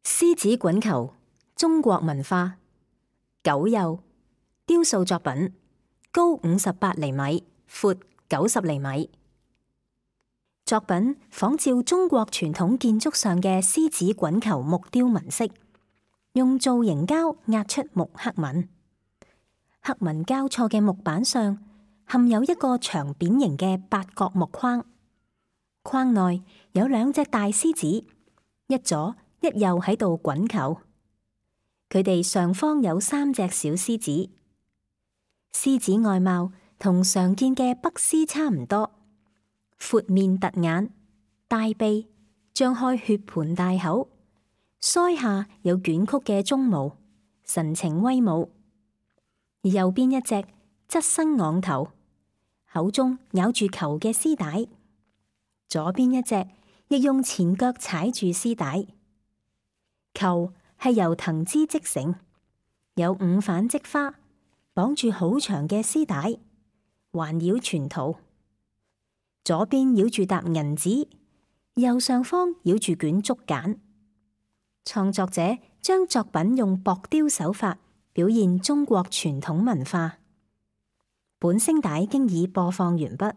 獅子滾球，中國文化。九釉，雕塑作品，高58厘米，闊90厘米。作品仿照中國傳統建築上嘅獅子滾球木雕紋飾，用造型膠壓出木刻紋。刻紋交錯嘅木板上嵌有一個長扁形嘅八角木框，框內有兩隻大獅子，一左一右喺度滾球。佢哋上方有3隻小獅子。獅子外貌同常見嘅北獅差唔多，闊面凸眼，大鼻，張開血盆大口，腮下有捲曲嘅鬃毛，神情威武。而右邊一隻側身昂頭，口中咬住球嘅絲帶；左邊一隻亦用前腳踩住絲帶。球係由藤枝織成，有5瓣織花，綁住好長嘅絲帶，環繞全圖。左邊繞住沓銀紙，右上方繞住卷竹簡。創作者將作品用薄雕手法表現中國傳統文化。本聲帶經已播放完畢。